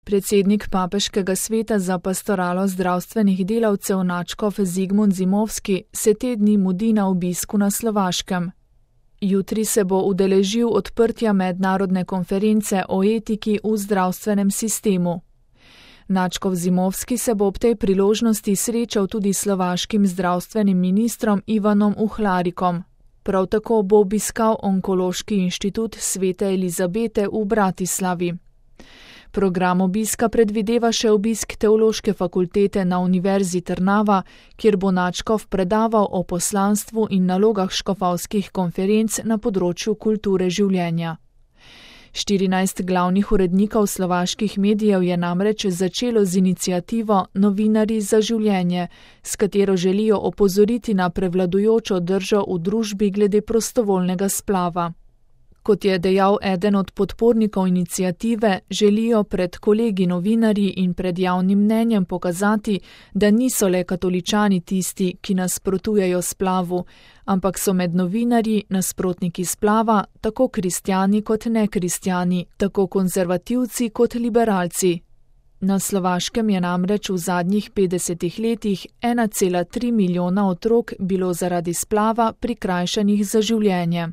Predsednik Papeškega sveta za pastoralo zdravstvenih delavcev nadškof Zigmund Zimovski se te dni mudi na obisku na Slovaškem. Jutri se bo udeležil odprtja mednarodne konference o etiki v zdravstvenem sistemu. Nadškof Zimovski se bo ob tej priložnosti srečal tudi s slovaškim zdravstvenim ministrom Ivanom Uhlarikom. Prav tako bo obiskal Onkološki inštitut Svete Elizabete v Bratislavi. Program obiska predvideva še obisk Teološke fakultete na Univerzi Trnava, kjer bo nadškof predaval o poslanstvu in nalogah škofovskih konferenc na področju kulture življenja. 14 glavnih urednikov slovaških medijev je namreč začelo z iniciativo Novinarji za življenje, s katero želijo opozoriti na prevladujočo držo v družbi glede prostovoljnega splava. Kot je dejal eden od podpornikov iniciative, želijo pred kolegi novinarji in pred javnim mnenjem pokazati, da niso le katoličani tisti, ki nasprotujejo splavu, ampak so med novinarji nasprotniki splava tako kristjani kot nekristjani, tako konzervativci kot liberalci. Na Slovaškem je namreč v zadnjih 50 letih 1,3 milijona otrok bilo zaradi splava prikrajšanih za življenje.